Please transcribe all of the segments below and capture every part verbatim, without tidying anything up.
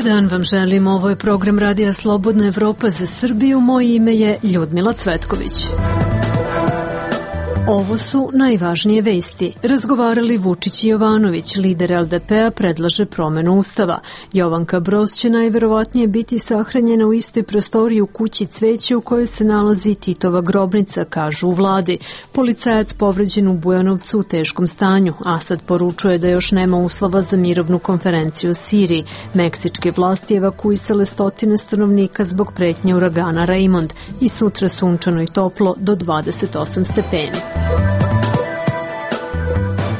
Dobar dan vam želim, ovo je program Radija Slobodna Evropa za Srbiju, moje ime je Ljudmila Cvetković. Ovo su najvažnije vesti. Razgovarali Vučić i Jovanović, lider L D P-a predlaže promenu ustava. Jovanka Broz će najverovatnije biti sahranjena u istoj prostoriji u kući Cveće u kojoj se nalazi Titova grobnica, kažu u vladi. Policajac povređen u Bujanovcu u teškom stanju. Asad poručuje da još nema uslova za mirovnu konferenciju u Siriji. Meksičke vlasti evakuisale stotine stanovnika zbog pretnje uragana Raymond. I sutra sunčano i toplo do dvadeset osam stepeni.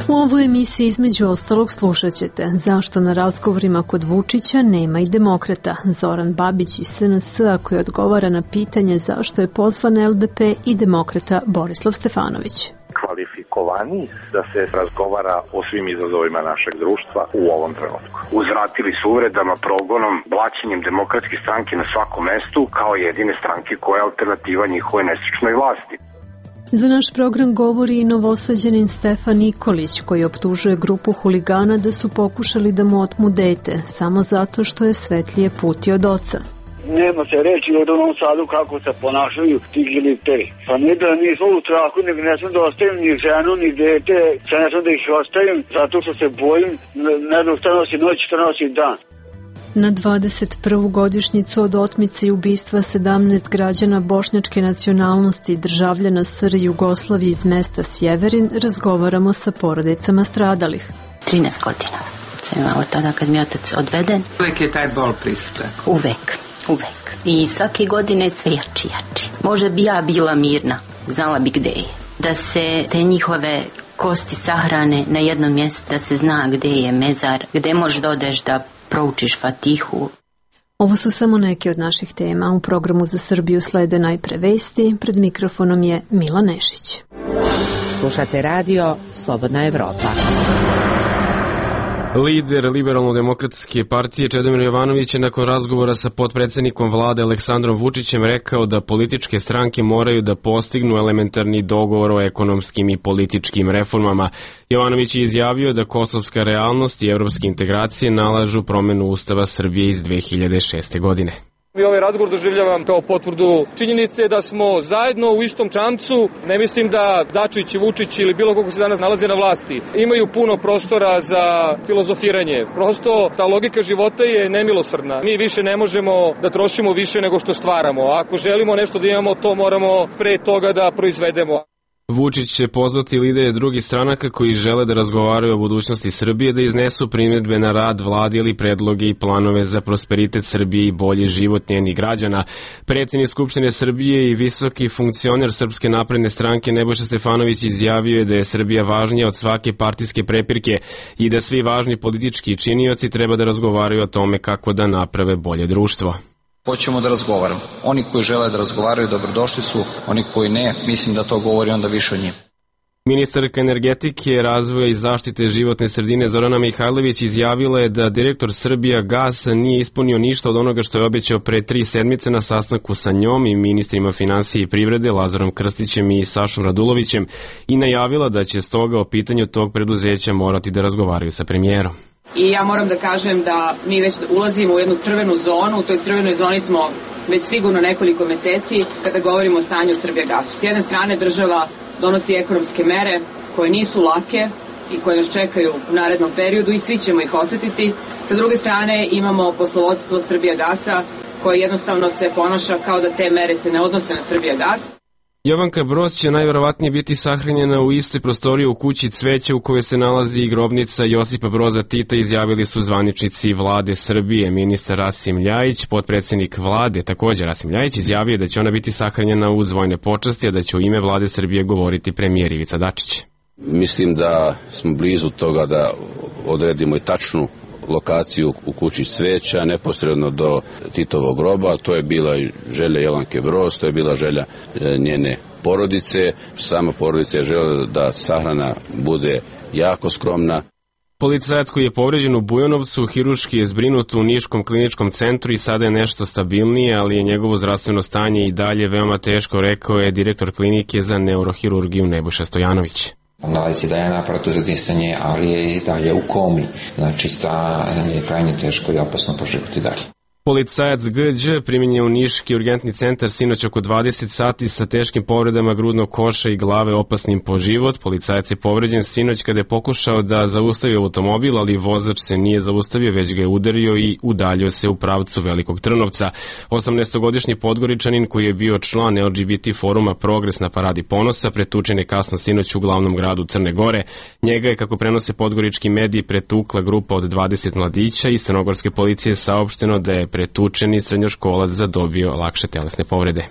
U ovoj emisiji između ostalog slušat ćete zašto na razgovorima kod Vučića nema i demokrata. Zoran Babić iz S N S-a koji odgovara na pitanje zašto je pozvan L D P i demokrata Borislav Stefanović. Kvalifikovani da se razgovara o svim izazovima našeg društva u ovom trenutku. Uzvratili su uvredama, progonom, blaćenjem demokratske stranke na svakom mestu kao jedine stranke koja je alternativa njihove nesrećnoj vlasti. Za naš program govori i novosađanin Stefan Nikolić koji optužuje grupu huligana da su pokušali da mu otmu dete samo zato što je svetlije puti od oca. Nema se reći od onom Sadu kako se ponašaju ti giliteri. Pa ne da nisu u strahu, nego ne sam da ostavim ni ženu, ni dete, sad ne sam da ih ostavim zato što se bojim, ne da šta nosi noć, šta nosi dan. Na dvadeset prvu godišnjicu od otmice i ubistva sedamnaest građana bošnjačke nacionalnosti državljana S R Jugoslavije iz mesta Sjeverin razgovaramo sa porodicama stradalih. trinaest godina sam imala tada kad mi je otac odveden. Uvek je taj bol prisutan. Uvek, uvek. I svake godine sve jači, jači. Možda bi ja bila mirna, znala bi gde je. Da se te njihove kosti sahrane na jednom mjestu, da se zna gde je mezar, gde možeš da odeš da proučiš Fatihu. Ovo su samo neke od naših tema. U programu za Srbiju slede najpre vesti. Pred mikrofonom je Mila Nešić. Slušate radio Slobodna Evropa. Lider Liberalno-demokratske partije Čedomir Jovanović je nakon razgovora sa potpredsednikom vlade Aleksandrom Vučićem rekao da političke stranke moraju da postignu elementarni dogovor o ekonomskim i političkim reformama. Jovanović je izjavio da kosovska realnost i evropske integracije nalažu promenu Ustava Srbije iz dve hiljade šeste. godine. I ovaj razgovor doživljavam kao potvrdu činjenice da smo zajedno u istom čamcu. Ne mislim da Dačić, Vučić ili bilo koga se danas nalaze na vlasti imaju puno prostora za filozofiranje. Prosto ta logika života je nemilosrdna. Mi više ne možemo da trošimo više nego što stvaramo. Ako želimo nešto da imamo, to moramo pre toga da proizvedemo. Vučić će pozvati lidere drugih stranaka koji žele da razgovaraju o budućnosti Srbije da iznesu primjedbe na rad vlade ili predloge i planove za prosperitet Srbije i bolji život njenih građana. Predsjednik Skupštine Srbije i visoki funkcioner Srpske napredne stranke Nebojša Stefanović izjavio je da je Srbija važnija od svake partijske prepirke i da svi važni politički činioci treba da razgovaraju o tome kako da naprave bolje društvo. Hoćemo da razgovaramo. Oni koji žele da razgovaraju dobrodošli su, oni koji ne, mislim da to govori onda više o njima. Ministarka energetike, razvoja i zaštite životne sredine Zorana Mihajlović izjavila je da direktor Srbija Gasa nije ispunio ništa od onoga što je obećao pre tri sedmice na sastanku sa njom i ministrima finansije i privrede Lazarom Krstićem i Sašom Radulovićem i najavila da će stoga o pitanju tog preduzeća morati da razgovaraju sa premijerom. I ja moram da kažem da mi već ulazimo u jednu crvenu zonu, u toj crvenoj zoni smo već sigurno nekoliko meseci kada govorimo o stanju Srbijagasu. S jedne strane država donosi ekonomske mere koje nisu lake i koje nas čekaju u narednom periodu i svi ćemo ih osetiti. Sa druge strane imamo poslovodstvo Srbijagasa koje jednostavno se ponaša kao da te mere se ne odnose na Srbijagas. Jovanka Broz će najverovatnije biti sahranjena u istoj prostoriji u kući Cveće u kojoj se nalazi i grobnica Josipa Broza Tita, izjavili su zvaničnici vlade Srbije. Ministar Rasim Ljajić, potpredsjednik vlade, također Rasim Ljajić, izjavio da će ona biti sahranjena uz vojne počasti, a da će u ime vlade Srbije govoriti premijer Ivica Dačić. Mislim da smo blizu toga da odredimo i tačnu lokaciju u kući Cveća, neposredno do Titovog groba. To je bila želja Jovanke Broz, to je bila želja njene porodice. Sama porodica je željela da sahrana bude jako skromna. Policajac koji je povređen u Bujanovcu hirurški je zbrinut u Niškom kliničkom centru i sada je nešto stabilnije, ali je njegovo zdravstveno stanje i dalje veoma teško, rekao je direktor klinike za neurohirurgiju Nebojša Stojanović. Nalazi da je na aparatu za disanje, ali je i dalje u komi. Znači, stanje je krajnje teško i opasno po život i dalje. Policajac G Đ primjen je u Niški urgentni centar sinoć oko dvadeset sati sa teškim povredama grudnog koša i glave opasnim po život. Policajac je povređen sinoć kada je pokušao da zaustavi automobil, ali vozač se nije zaustavio, već ga je udario i udaljio se u pravcu Velikog Trnovca. osamnaestogodišnji Podgoričanin koji je bio član L G B T foruma Progres na Paradi ponosa pretučen je kasno sinoć u glavnom gradu Crne Gore. Njega je, kako prenose podgorički mediji, pretukla grupa od dvadeset mladića i crnogorske policije saopšteno da je pretučeni srednjoškolac zadobio lakše telesne povrede.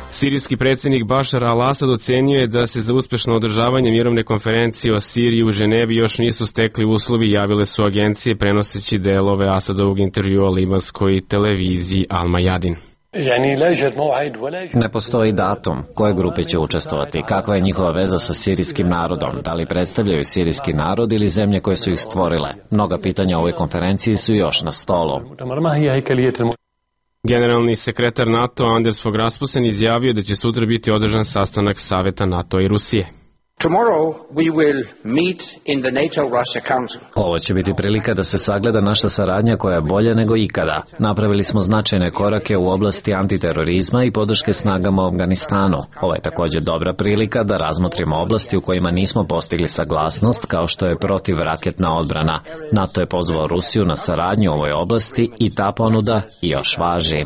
Sirijski predsjednik Bašar al-Asad ocenio je da se za uspešno održavanje mirovne konferencije o Siriji u Ženevi još nisu stekli uslovi, javile su agencije prenoseći delove Asadovog intervjua libanskoj televiziji Al Mayadin. Ne postoji datum koje grupe će učestvovati, kakva je njihova veza sa sirijskim narodom, da li predstavljaju sirijski narod ili zemlje koje su ih stvorile. Mnoga pitanja o ovoj konferenciji su još na stolu. Generalni sekretar NATO Anders Fogh Rasmussen izjavio da će sutra biti održan sastanak Saveta NATO i Rusije. Ovo će biti prilika da se sagleda naša saradnja koja je bolja nego ikada. Napravili smo značajne korake u oblasti antiterorizma i podrške snagama u Afganistanu. Ovo je također dobra prilika da razmotrimo oblasti u kojima nismo postigli saglasnost, kao što je protivraketna odbrana. NATO je pozvao Rusiju na saradnju u ovoj oblasti i ta ponuda još važi.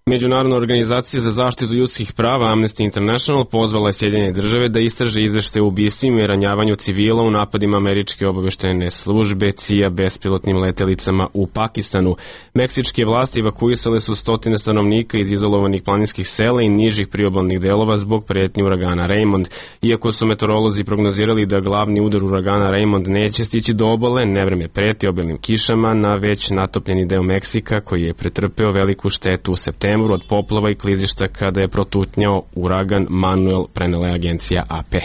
Međunarodna organizacija za zaštitu ljudskih prava Amnesty International pozvala je Sjedinjene države da istraže izveštaje o ubistvima i ranjavanju civila u napadima američke obavještajne službe C I A bespilotnim letelicama u Pakistanu. Meksičke vlasti evakuisale su stotine stanovnika iz izolovanih planinskih sela i nižih priobalnih delova zbog pretnje uragana Raymond. Iako su meteorolozi prognozirali da glavni udar uragana Raymond neće stići do obale, nevreme preti obilnim kišama na već natopljeni deo Meksika koji je pretrpeo veliku štetu u septembru od poplava i klizišta kada je protutnjao uragan Manuel, prenela je agencija A P.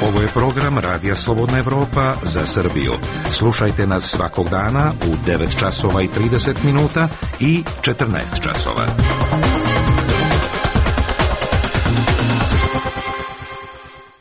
Ovo je program Radija Slobodna Evropa za Srbiju. Slušajte nas svakog dana u devet časova i trideset minuta i četrnaest časova.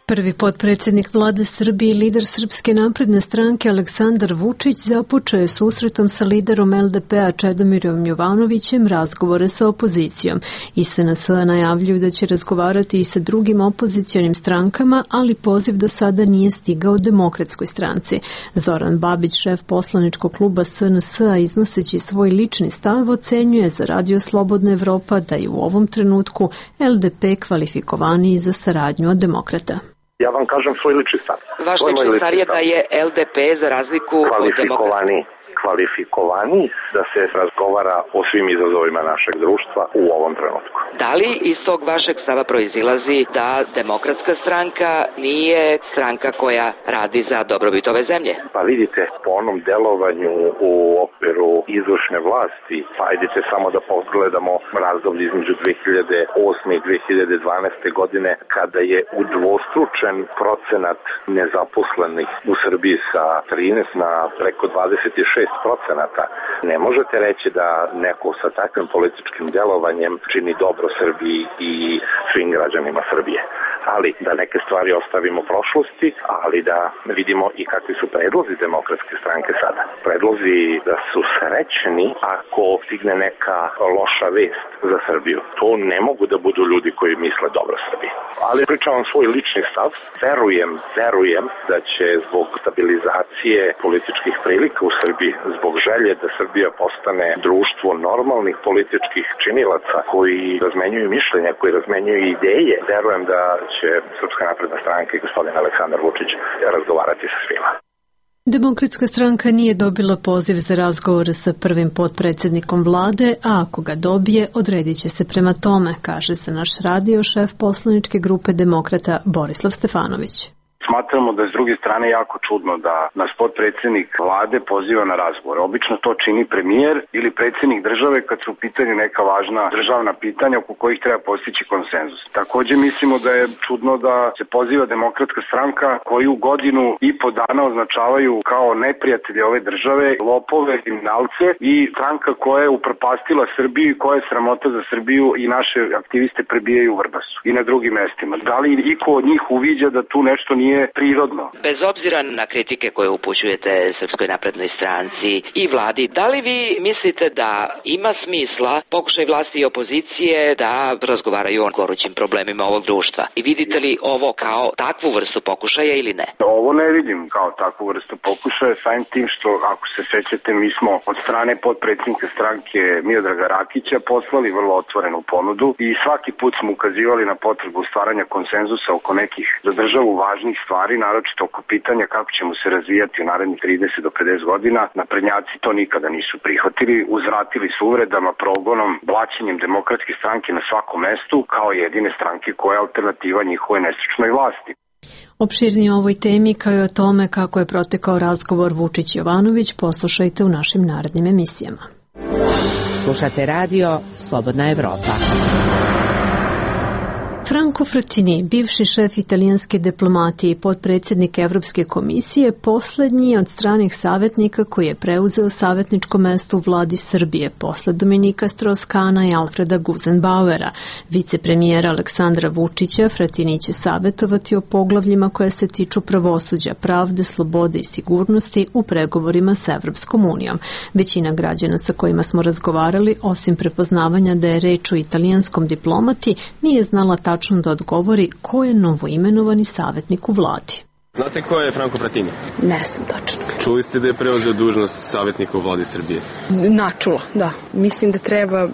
Prvi potpredsjednik vlade Srbije i lider Srpske napredne stranke Aleksandar Vučić započeo je susretom sa liderom L D P-a Čedomirom Jovanovićem razgovore sa opozicijom. I S N S najavljuju da će razgovarati i sa drugim opozicionim strankama, ali poziv do sada nije stigao Demokratskoj stranci. Zoran Babić, šef poslaničkog kluba S N S-a, iznoseći svoj lični stav, ocenjuje za Radio Slobodna Evropa da je u ovom trenutku L D P kvalifikovaniji za saradnju od demokrata. Ja vam kažem svoj lični stav. Vaš lični stav je da je L D P za razliku od demokrata kvalifikovani da se razgovara o svim izazovima našeg društva u ovom trenutku. Da li iz tog vašeg stava proizilazi da Demokratska stranka nije stranka koja radi za dobrobit ove zemlje? Pa vidite, po onom delovanju u okviru izvršne vlasti, pa idite samo da pogledamo razdoblje između dve hiljade osme i dve hiljade dvanaeste godine, kada je udvostručen procenat nezaposlenih u Srbiji sa trinaest na preko dvadeset šest procenata. Ne možete reći da neko sa takvim političkim delovanjem čini dobro Srbiji i svim građanima Srbije. Ali da neke stvari ostavimo prošlosti, ali da vidimo i kakvi su predlozi Demokratske stranke sada. Predlozi da su srećni ako stigne neka loša vest za Srbiju. To ne mogu da budu ljudi koji misle dobro Srbiji. Ali pričam vam svoj lični stav. Verujem, verujem da će zbog stabilizacije političkih prilika u Srbiji, zbog želje da Srbija postane društvo normalnih političkih činilaca koji razmenjuju mišljenja, koji razmenjuju ideje, verujem da će Srpska napredna stranka i gospodin Aleksandar Vučić razgovarati sa svima. Demokratska stranka nije dobila poziv za razgovore sa prvim potpredsjednikom vlade, a ako ga dobije, odredit će se prema tome, kaže za naš radio šef poslaničke grupe Demokrata Borislav Stefanović. Smatramo da je s druge strane jako čudno da nas potpredsednik vlade poziva na razgovor. Obično to čini premijer ili predsednik države kad su u pitanju neka važna državna pitanja oko kojih treba postići konsenzus. Takođe mislimo da je čudno da se poziva Demokratska stranka koju godinu i po dana označavaju kao neprijatelje ove države, lopove, kriminalce i stranka koja je upropastila Srbiju i koja je sramota za Srbiju i naše aktiviste prebijaju u Vrbasu i na drugim mestima. Da li iko od njih uviđa da tu nešto nije prirodno? Bez obzira na kritike koje upućujete Srpskoj naprednoj stranci i vladi, da li vi mislite da ima smisla pokušaj vlasti i opozicije da razgovaraju o gorućim problemima ovog društva? I vidite li ovo kao takvu vrstu pokušaja ili ne? Ovo ne vidim kao takvu vrstu pokušaja, samim tim što, ako se sećate, mi smo od strane potpredsjednika stranke Miodraga Rakića poslali vrlo otvorenu ponudu i svaki put smo ukazivali na potrebu stvaranja konsenzusa oko nekih za državu važnih stvari, naročito oko pitanja kako ćemo se razvijati u narednih trideset do pedeset godina. Naprednjaci to nikada nisu prihvatili, uzvratili su uvredama, progonom, blaćenjem Demokratske stranke na svakom mestu kao jedine stranke koja je alternativa njihove nestručnoj vlasti. Opširnije o ovoj temi kao i o tome kako je protekao razgovor Vučić-Jovanović poslušajte u našim narednim emisijama. Slušate radio Slobodna Evropa. Franco Frattini, bivši šef italijanske diplomatije i potpredsjednik Evropske komisije, poslednji od stranih savjetnika koji je preuzeo savjetničko mesto u vladi Srbije posle Dominika Strauss-Kahna i Alfreda Gusenbauera. Vicepremijera Aleksandra Vučića, Frattini će savjetovati o poglavljima koje se tiču pravosuđa, pravde, slobode i sigurnosti u pregovorima sa Evropskom unijom. Većina građana sa kojima smo razgovarali, osim prepoznavanja da je reč o italijanskom diplomati, nije znala tačno da odgovori ko je novoimenovani savjetnik u vladi. Znate ko je Franco Frattini? Ne znam tačno. Čuli ste da je preuzeo dužnost savjetnika u vladi Srbije? Načula, da. Mislim da treba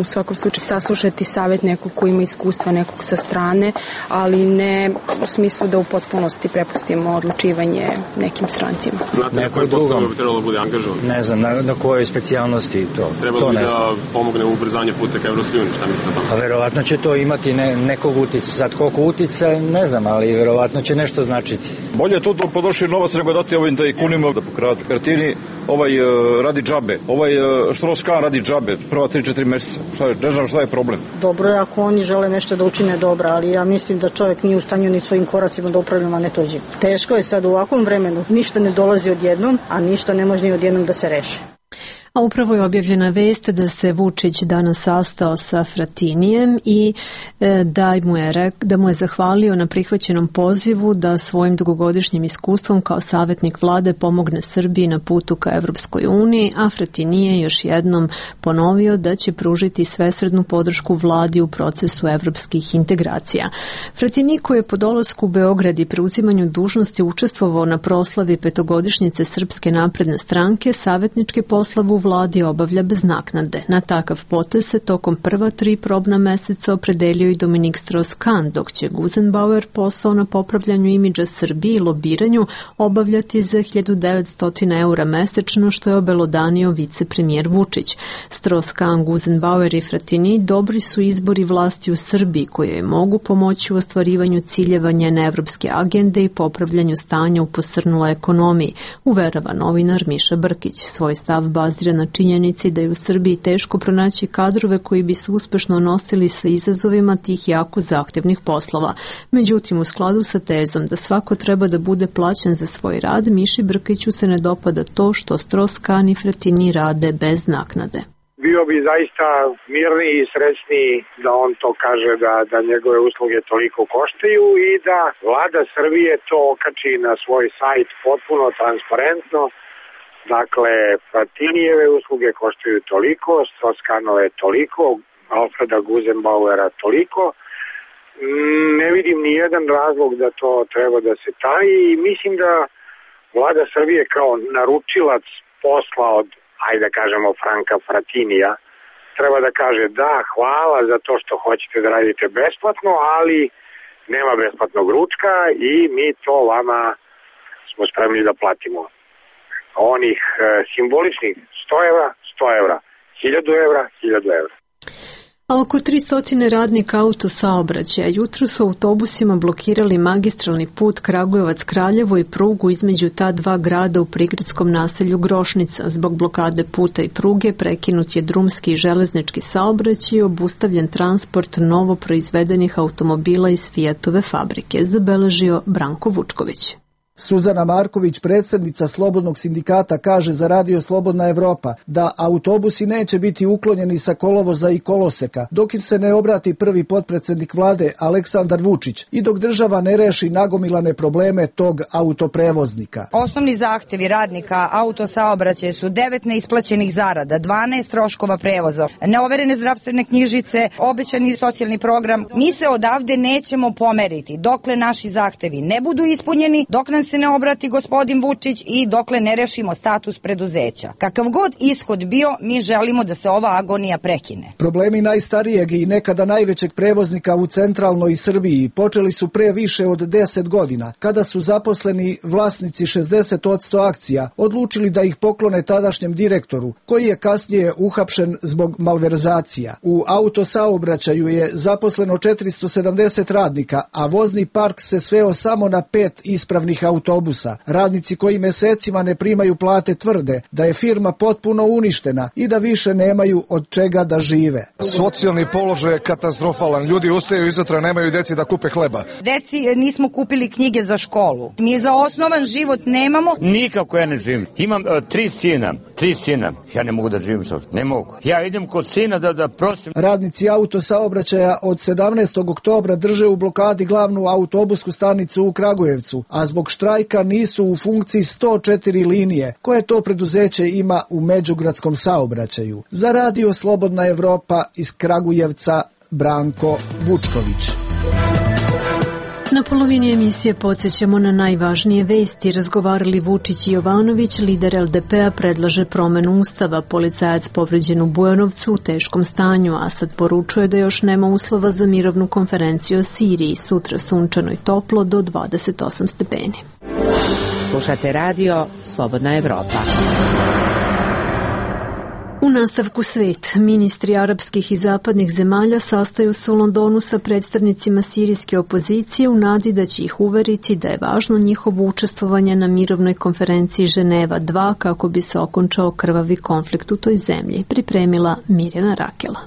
u svakom slučaju saslušati savjet nekog ko ima iskustva, nekog sa strane, ali ne u smislu da u potpunosti prepustimo odlučivanje nekim strancima. Znate na kojoj postavu bi trebalo da bude angažovan? Ne znam, na, na kojoj specijalnosti to. Trebalo to bi da pomogne u ubrzanju puta ka Evropskoj uniji, šta mislite o tome? A verovatno će to imati ne, nekog uticaja. Sad koliko uticaja, ne znam, ali verovatno će nešto značiti. Bolje je to da podošli novac nego dati ovim tajkunima da pokradu. Frattini ovaj uh, radi džabe, ovaj uh, Strauss-Kahn radi džabe, prva tri četiri meseca. Šta je, ne znam šta je problem. Dobro je ako oni žele nešto da učine dobro, ali ja mislim da čovjek nije u stanju ni svojim koracima da upravlja, a ne tuđim. Teško je sad u ovakvom vremenu, ništa ne dolazi odjednom, a ništa ne može ni odjednom da se reši. A upravo je objavljena vest da se Vučić danas sastao sa Frattinijem i da mu je, da mu je zahvalio na prihvaćenom pozivu da svojim dugogodišnjim iskustvom kao savjetnik vlade pomogne Srbiji na putu ka Evropskoj uniji, a Frattini je još jednom ponovio da će pružiti svesrdnu podršku vladi u procesu evropskih integracija. Frattini, koji je po dolasku u Beograd i preuzimanju dužnosti učestvovao na proslavi petogodišnjice Srpske napredne stranke, savjetnički poslav u vladi obavlja bez naknade. Na takav potez se tokom prva tri probna meseca opredelio i Dominik Strauss-Kahn, dok će Gusenbauer posao na popravljanju imidža Srbije i lobiranju obavljati za hiljadu devetsto eura mesečno, što je obelodanio vicepremijer Vučić. Strauss-Kahn, Gusenbauer i Frattini dobri su izbori vlasti u Srbiji koje je mogu pomoći u ostvarivanju ciljeva njene evropske agende i popravljanju stanja u posrnuloj ekonomiji, uverava novinar Miša Brkić. Svoj stav bazira na činjenici da je u Srbiji teško pronaći kadrove koji bi se uspešno nosili sa izazovima tih jako zahtevnih poslova. Međutim, u skladu sa tezom da svako treba da bude plaćen za svoj rad, Miši Brkiću se ne dopada to što Strauss-Kahn i Frattini rade bez naknade. Bio bi zaista mirniji i srećniji da on to kaže da, da njegove usluge toliko koštaju i da vlada Srbije to okači na svoj sajt potpuno transparentno. Dakle, Frattinijeve usluge koštaju toliko, Strauss-Kahnove toliko, Alfreda Gusenbauera toliko. Ne vidim ni jedan razlog da to treba da se taji i mislim da vlada Srbije kao naručilac posla od, ajde da kažemo, Franka Frattinija, treba da kaže da, hvala za to što hoćete da radite besplatno, ali nema besplatnog ručka i mi to vama smo spremni da platimo. Onih e, simboličnih sto evra, sto evra, hiljadu evra, hiljadu evra. A oko tristo radnika autosaobraćaja jutro su autobusima blokirali magistralni put Kragujevac-Kraljevo i prugu između ta dva grada u prigradskom naselju Grošnica. Zbog blokade puta i pruge prekinut je drumski i železnički saobraćaj i obustavljen transport novo proizvedenih automobila iz Fijatove fabrike, zabeležio Branko Vučković. Suzana Marković, predsjednica Slobodnog sindikata, kaže za Radio Slobodna Evropa da autobusi neće biti uklonjeni sa kolovoza i koloseka dok im se ne obrati prvi potpredsjednik vlade Aleksandar Vučić i dok država ne reši nagomilane probleme tog autoprevoznika. Osnovni zahtevi radnika autosaobraćaja su devet neisplaćenih zarada, dvanaest troškova prevoza, neoverene zdravstvene knjižice, obećani socijalni program. Mi se odavde nećemo pomeriti dokle naši zahtevi ne budu ispunjeni, dok nam se ne obrati gospodin Vučić i dokle ne rešimo status preduzeća. Kakav god ishod bio, mi želimo da se ova agonija prekine. Problemi najstarijeg i nekada najvećeg prevoznika u centralnoj Srbiji počeli su pre više od deset godina, kada su zaposleni vlasnici šezdeset posto akcija odlučili da ih poklone tadašnjem direktoru, koji je kasnije uhapšen zbog malverzacija. U autosaobraćaju je zaposleno četiristo sedamdeset radnika, a vozni park se sveo samo na pet ispravnih autobusa. autobusa. Radnici koji mesecima ne primaju plate tvrde da je firma potpuno uništena i da više nemaju od čega da žive. Socijalni položaj je katastrofalan. Ljudi ustaju izutra, nemaju deci da kupe hleba. Deci nismo kupili knjige za školu. Mi za osnovan život nemamo. Nikako ja ne živim. Imam uh, tri sina. Tri sina. Ja ne mogu da živim sad. Ne mogu. Ja idem kod sina da, da prosim. Radnici autosaobraćaja od sedamnaestog oktobra drže u blokadi glavnu autobusku stanicu u Kragujevcu, a zbog štrajka nisu u funkciji sto četiri linije, koje to preduzeće ima u međugradskom saobraćaju. Za Radio Slobodna Evropa iz Kragujevca, Branko Vučković. Na polovini emisije podsjećamo na najvažnije vesti. Razgovarali Vučić i Jovanović, lider el de pe a predlaže promenu ustava, policajac povređen u Bujanovcu u teškom stanju, Asad poručuje da još nema uslova za mirovnu konferenciju o Siriji, sutra sunčano i toplo do dvadeset osam stepeni. Slušate radio Slobodna Evropa. U nastavku svet, ministri arapskih i zapadnih zemalja sastaju se u Londonu sa predstavnicima sirijske opozicije u nadi da će ih uveriti da je važno njihovo učestvovanje na mirovnoj konferenciji Ženeva dva kako bi se okončao krvavi konflikt u toj zemlji, pripremila Mirjana Rakela.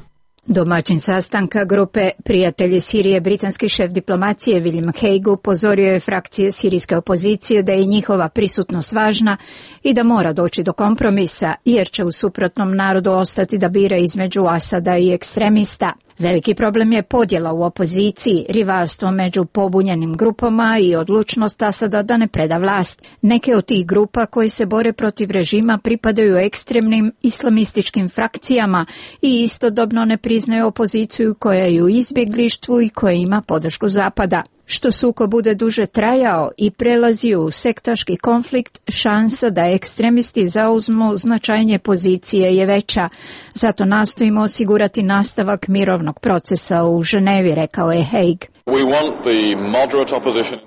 Domaćin sastanka grupe Prijatelji Sirije, britanski šef diplomacije William Hague upozorio je frakcije sirijske opozicije da je njihova prisutnost važna i da mora doći do kompromisa, jer će u suprotnom narodu ostati da bira između Asada i ekstremista. Veliki problem je podjela u opoziciji, rivalstvo među pobunjenim grupama i odlučnost Asada da ne preda vlast. Neke od tih grupa koje se bore protiv režima pripadaju ekstremnim islamističkim frakcijama i istodobno ne priznaju opoziciju koja je u izbjeglištvu i koja ima podršku Zapada. Što sukob bude duže trajao i prelazi u sektaški konflikt, šansa da ekstremisti zauzmu značajnije pozicije je veća. Zato nastojimo osigurati nastavak mirovnog procesa u Ženevi, rekao je Hague.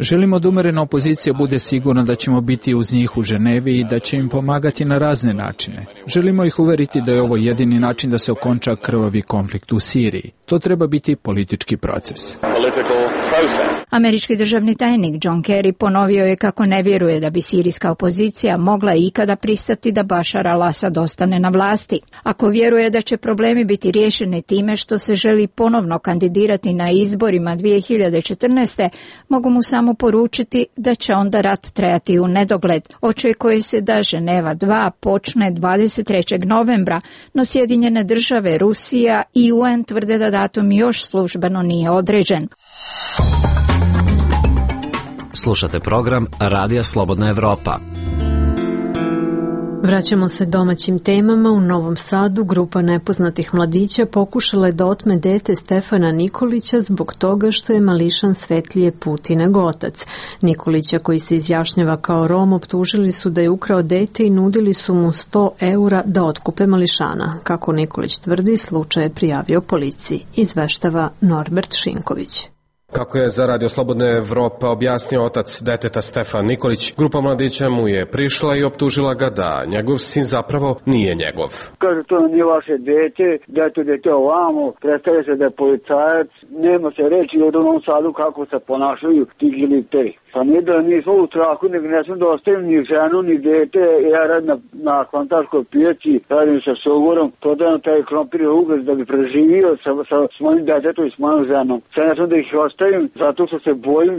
Želimo da umerena opozicija bude sigurna da ćemo biti uz njih u Ženevi i da će im pomagati na razne načine. Želimo ih uveriti da je ovo jedini način da se okonča krvavi konflikt u Siriji. To treba biti politički proces. Američki državni tajnik John Kerry ponovio je kako ne vjeruje da bi sirijska opozicija mogla ikada pristati da Bašar al-Asad ostane na vlasti. Ako vjeruje da će problemi biti riješeni time što se želi ponovno kandidirati na izborima dvije hiljade četrnaeste. mogu mu samo poručiti da će onda rat trajati u nedogled. Očekuje se da Ženeva dva počne dvadeset trećeg novembra, no Sjedinjene države, Rusija i U N tvrde da datum još službeno nije određen. Slušate program Radija Slobodna Evropa. Vraćamo se domaćim temama. U Novom Sadu grupa nepoznatih mladića pokušala je da otme dete Stefana Nikolića zbog toga što je mališan svetlije puti nego otac. Nikolića, koji se izjašnjava kao Rom, optužili su da je ukrao dete i nudili su mu sto eura da otkupe mališana. Kako Nikolić tvrdi, slučaj je prijavio policiji, izveštava Norbert Šinković. Kako je za Radio Slobodna Evropa objasnio otac deteta Stefan Nikolić, grupa mladića mu je prišla i optužila ga da njegov sin zapravo nije njegov. Kaže, to nije vaše dete, da je to dete ovamo, predstavlja se da je policajac, nema se reći od onom Sadu kako se ponašaju ti ili te. Pa nije da nismo u traku, nego ne sam da ostavim ni ženu, ni dete, ja radim na, na kvantarskoj pijaci, radim sa Sogorom, prodajem taj krompir i ugaz da bi preživio sa, sa, s mojim detetom i s mojom ženom. Sad ne sam da ih ostavim, zato što se bojim,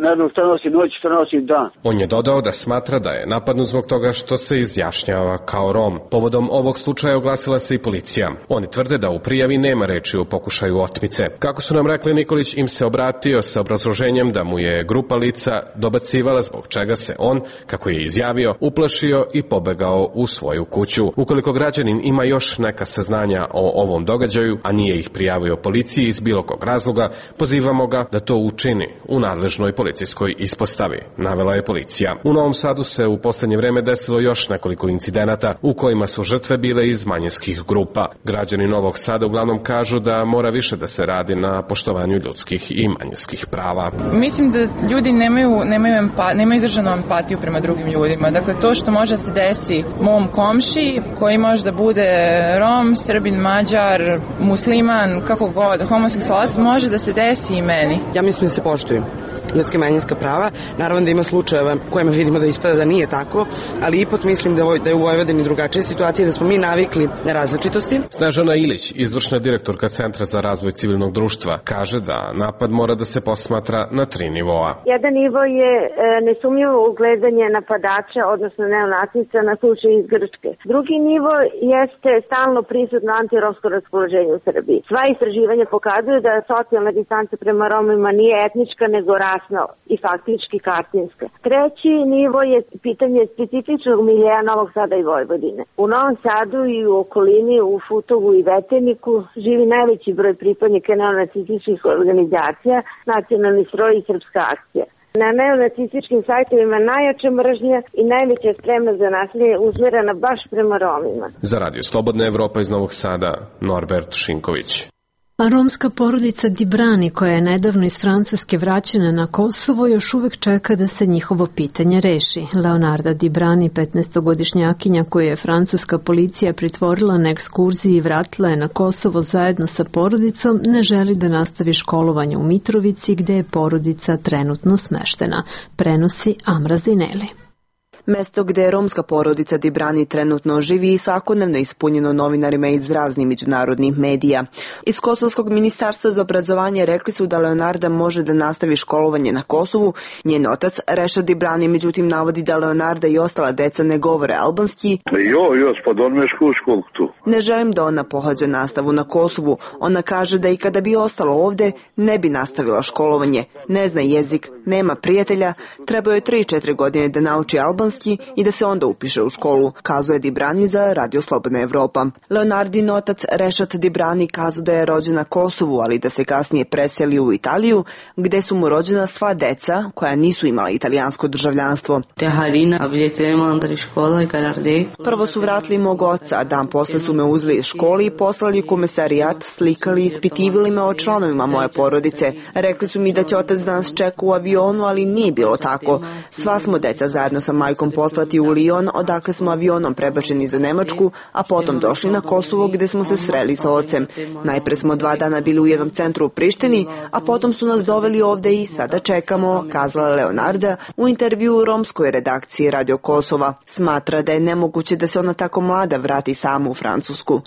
ne da šta nosi noć, šta nosi dan. On je dodao da smatra da je napadnut zbog toga što se izjašnjava kao Rom. Povodom ovog slučaja oglasila se i policija. Oni tvrde da u prijavi nema reči o pokušaju otmice. Kako su nam rekli, Nikolić im se obratio sa obrazloženjem da mu je grupa lica dobacivala, zbog čega se on, kako je izjavio, uplašio i pobegao u svoju kuću. Ukoliko građanin ima još neka saznanja o ovom događaju, a nije ih prijavio policiji iz bilo kog razloga, pozivamo ga da to učini u nadležnoj policijskoj ispostavi, navela je policija. U Novom Sadu se u poslednje vreme desilo još nekoliko incidenata u kojima su žrtve bile iz manjinskih grupa. Građani Novog Sada uglavnom kažu da mora više da se radi na poštovanju ljudskih i manjinskih prava. Mislim da ljudi nemaju nemaju, empa, nemaju izraženu empatiju prema drugim ljudima. Dakle, to što može se desi mom komši, koji može da bude Rom, Srbin, Mađar, musliman, kako god, homoseksualac, može da se desi i meni. Ja mislim da se poštuju ljudske manjinska prava. Naravno da ima slučajeva kojima vidimo da ispada da nije tako, ali ipak mislim da, da je u Vojvodini drugačija situacija, da smo mi navikli na različitosti. Snežana Ilić, izvršna direktorka Centra za razvoj civilnog društva, kaže da napad mora da se posmatra na tri nivoa. Jedan nivo je e, nesumnjivo ugledanje napadača, odnosno neonacica na slučaj iz Grčke. Drugi nivo jeste stalno prisutno antiromsko raspoloženje u Srbiji. Sva istraživanja pokazuju da socijalna distanca prema Romima nije etnička, nego rasna i faktički kartinska. Treći nivo je pitanje specifičnog miljeja Novog Sada i Vojvodine. U Novom Sadu i u okolini, u Futovu i Veteniku, živi najveći broj pripadnika neonacističkih organizacija, Nacionalni stroj i Srpska akcija. Na neonacističkim sajtovima najjača mržnja i najveća spremna za nasilje usmerena baš prema Romima. Za Radio Slobodna Evropa iz Novog Sada, Norbert Šinković. A romska porodica Dibrani, koja je nedavno iz Francuske vraćena na Kosovo, još uvek čeka da se njihovo pitanje reši. Leonarda Dibrani, petnaestogodišnjakinja koju je francuska policija pritvorila na ekskurziji i vratila je na Kosovo zajedno sa porodicom, ne želi da nastavi školovanje u Mitrovici, gde je porodica trenutno smeštena, prenosi Amra Zineli. Mesto gde je romska porodica Dibrani trenutno živi i svakodnevno ispunjeno novinarima iz raznih međunarodnih medija. Iz Kosovskog ministarstva za obrazovanje rekli su da Leonarda može da nastavi školovanje na Kosovu. Njen otac Rešad Dibrani međutim navodi da Leonarda i ostala deca ne govore albanski. Jo, jo, spodormeš školu tu. Ne želim da ona pohađa nastavu na Kosovu. Ona kaže da i kada bi ostala ovde ne bi nastavila školovanje. Ne zna jezik, nema prijatelja, treba joj tri četiri godine da nauči albanski i da se onda upiše u školu, kazuje Dibrani za Radio Slobodna Evropa. Leonardin otac Rešat Dibrani kazao da je rođen na Kosovu, ali da se kasnije preselio u Italiju, gde su mu rođena sva deca koja nisu imala italijansko državljanstvo. Prvo su vratili mog oca, a dan posle su me uzeli iz škole i poslali u komesarijat, slikali i ispitivali me o članovima moje porodice. Rekli su mi da će otac da nas čeka u avionu, ali nije bilo tako. Sva smo deca zajedno sa majkom poslati u Lion, odakle smo avionom prebačeni za Nemačku, a potom došli na Kosovo gde smo se sreli sa ocem. Najpre smo dva dana bili u jednom centru u Prištini, a potom su nas doveli ovde i sada čekamo, kazala Leonarda u intervju u romskoj redakciji Radio Kosova. Smatra da je nemoguće da se ona tako mlada vrati sama u Francusku.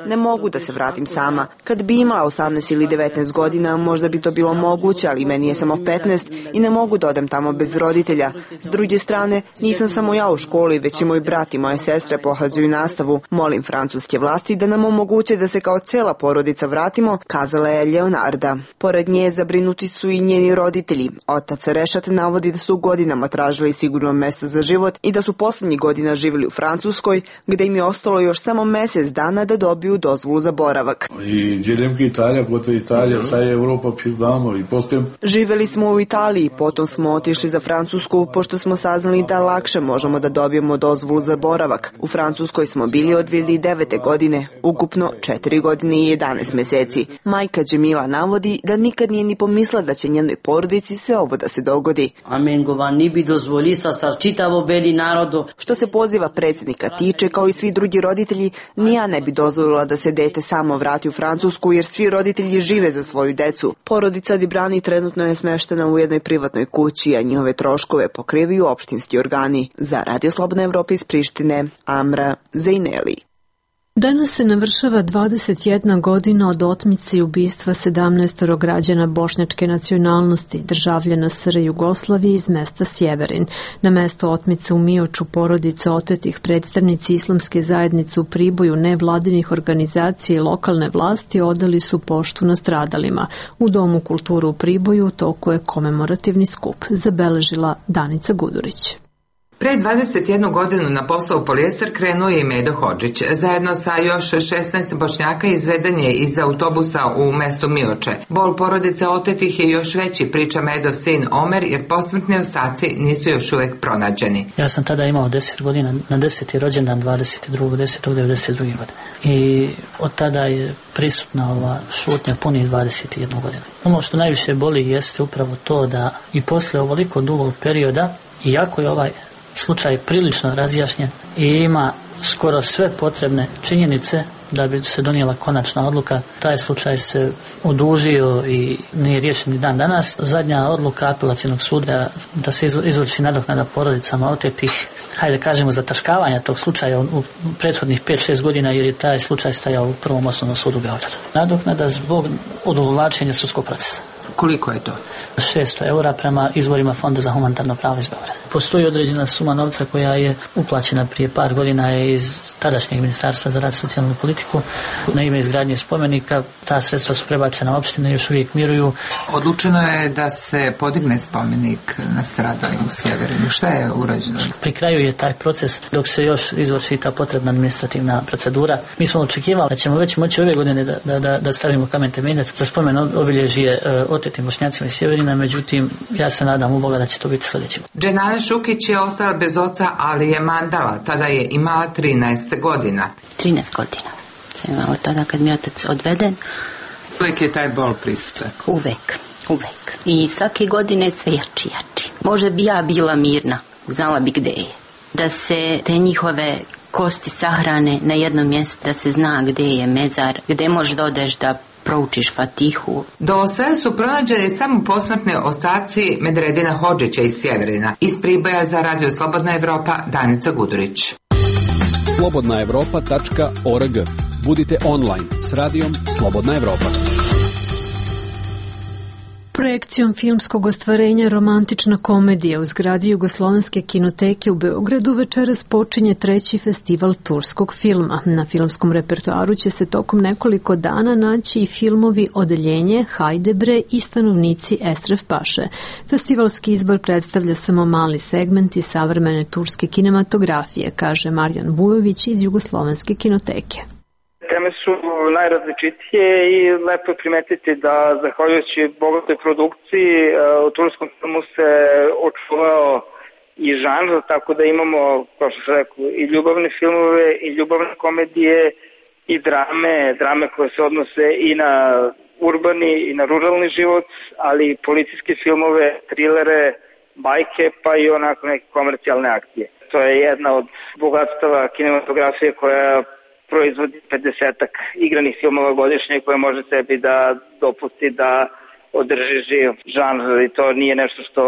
Ne mogu da se vratim sama. Kad bi imala osamnaest ili devetnaest godina, možda bi to bilo moguće, ali meni je samo petnaest i ne mogu da odem tamo bez roditelja. S druge strane, nisam samo ja u školi, već i moj brat i moje sestre pohađaju nastavu. Molim francuske vlasti da nam omoguće da se kao cela porodica vratimo, kazala je Leonarda. Pored nje zabrinuti su i njeni roditelji. Otac Rešat navodi da su godinama tražili sigurno mesto za život i da su poslednjih godina živjeli u Francuskoj, gde im je ostalo još samo mesec dana da dobiju dozvolu za boravak. Živjeli smo u Italiji, potom smo otišli za Francusku, pošto smo saznali da lakše možemo da dobijemo dozvolu za boravak. U Francuskoj smo bili od dve hiljade devete. godine, ukupno četiri godine i jedanaest meseci. Majka Džemila navodi da nikad nije ni pomislila da će njenoj porodici se ovo da se dogodi. Što se poziva predsjednika tiče, kao i svi drugi roditelji, ni ja ne bi dozvolila da se dete samo vrati u Francusku, jer svi roditelji žive za svoju decu. Porodica Dibrani trenutno je smeštena u jednoj privatnoj kući, a njihove troškove pokrivaju opštinski organi. Za Radio Slobodna Evropa iz Prištine, Amra Zejneli. Danas se navršava dvadeset jedna godina od otmice i ubistva sedamnaest građana bošnjačke nacionalnosti, državljana S R Jugoslavije iz mesta Sjeverin. Na mesto otmice u Mioču porodica otetih, predstavnici islamske zajednice u Priboju, nevladinih organizacija i lokalne vlasti odali su poštu nastradalima. U Domu kulture u Priboju u toku je komemorativni skup, zabeležila Danica Gudurić. Pre dvadeset jednu godinu na posao u Polijeser krenuo je i Medo Hodžić. Zajedno sa još šesnaest Bošnjaka izveden je iz autobusa u mesto Mioče. Bol porodice otetih je još veći, priča Medov sin Omer, jer posmrtni ostaci nisu još uvek pronađeni. Ja sam tada imao deset godina, na deseti rođendan dvadeset drugog desetog devedeset druge. godine. I od tada je prisutna ova šutnja punih dvadeset jednu godinu. Ono što najviše boli jeste upravo to da i posle ovoliko dugog perioda, iako je ovaj slučaj prilično razjašnjen i ima skoro sve potrebne činjenice da bi se donijela konačna odluka, taj slučaj se odužio i nije riješen ni dan danas. Zadnja odluka apelacionog suda da se izvrši nadoknada porodicama otetih, hajde kažemo zataškavanja tog slučaja u prethodnih pet šest godina, jer je taj slučaj stajao u prvom osnovnom sudu u Beogradu. Nadoknada zbog odugovlačenja sudskog procesa. Koliko je to? šesto eura prema izvorima Fonda za humanitarno pravo iz Beograda. Postoji određena suma novca koja je uplaćena prije par godina iz tadašnjeg Ministarstva za rad i socijalnu politiku na ime izgradnje spomenika. Ta sredstva su prebačena opštine i još uvijek miruju. Odlučeno je da se podigne spomenik nastradalim u Sjeverinu. Šta je urađeno? Pri kraju je taj proces dok se još izvrši ta potrebna administrativna procedura. Mi smo očekivali da ćemo već moći ove godine da, da, da, da stavimo kamen temeljac za spomen obilježje uh, otetim Bošnjacima iz Sjeverina, međutim ja se nadam u Boga da će to biti sljedeće. Dženana Šukić je ostala bez oca, ali je Mandala. Tada je imala trinaest godina. trinaest godina sam imala tada kad mi je otac odveden. Uvijek je taj bol prisutan? Uvek, uvek. I svake godine sve jači, jači. Možda bi ja bila mirna, znala bi gde je. Da se te njihove kosti sahrane na jednom mjestu, da se zna gde je mezar, gde možeš da odeš da proučiš Fatihu. Do sada su pronađeni samo posmrtne ostaci Medredina Hodžića iz Sjeverina. Iz Priboja za Radio Slobodna Evropa, Danica Gudurić. slobodna evropa tačka org. Budite online s radijom Slobodna Evropa. Projekcijom filmskog ostvarenja Romantična komedija u zgradi Jugoslovenske kinoteke u Beogradu večeras počinje treći festival turskog filma. Na filmskom repertoaru će se tokom nekoliko dana naći i filmovi Odeljenje, Hajde bre i Stanovnici Estref Paše. Festivalski izbor predstavlja samo mali segment iz savremene turske kinematografije, kaže Marjan Vujović iz Jugoslovenske kinoteke. Teme su najrazličitije i lepo je primetiti da zahvaljujući bogatoj produkciji u turskom filmu se očuvao i žanr, tako da imamo, kao što sam rekao, i ljubavne filmove i ljubavne komedije i drame, drame koje se odnose i na urbani i na ruralni život, ali i policijske filmove, trilere, bajke, pa i onako neke komercijalne akcije. To je jedna od bogatstava kinematografije koja proizvodi pedesetak igranih filmova godišnje koje može sebi da dopusti da održi živ žanr i to nije nešto što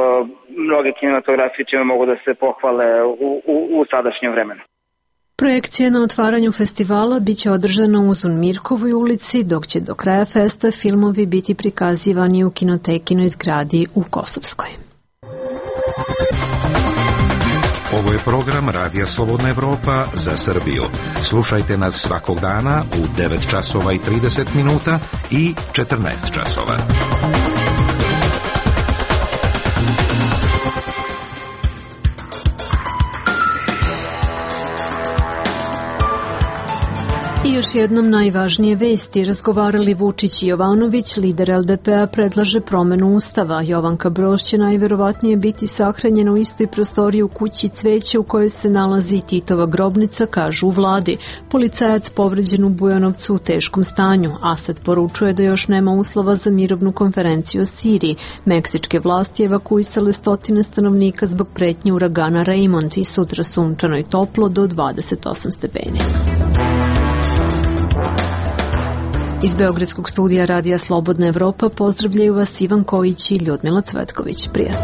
mnoge kinematografije čime mogu da se pohvale u, u, u sadašnjem vremenu. Projekcija na otvaranju festivala biće održana u Uzun Mirkovoj ulici, dok će do kraja festa filmovi biti prikazivani u kinotekinoj zgradi u Kosovskoj. Ovo je program Radija Slobodna Evropa za Srbiju. Slušajte nas svakog dana u devet časova i trideset minuta i četrnaest časova. još jednom najvažnije vesti. Razgovarali Vučić i Jovanović, lider el de pe a predlaže promenu ustava. Jovanka Broz će najverovatnije biti sahranjena u istoj prostoriji u kući Cveće u kojoj se nalazi Titova grobnica, kažu u vladi. Policajac povređen u Bujanovcu u teškom stanju. Asad poručuje da još nema uslova za mirovnu konferenciju o Siriji. Meksičke vlasti evakuisale stotine stanovnika zbog pretnje uragana Raymond i sutra sunčano i toplo do dvadeset osam stepeni. Iz Beogradskog studija Radija Slobodna Evropa pozdravljaju vas Ivan Kojić i Ljudmila Cvetković. Prijatno.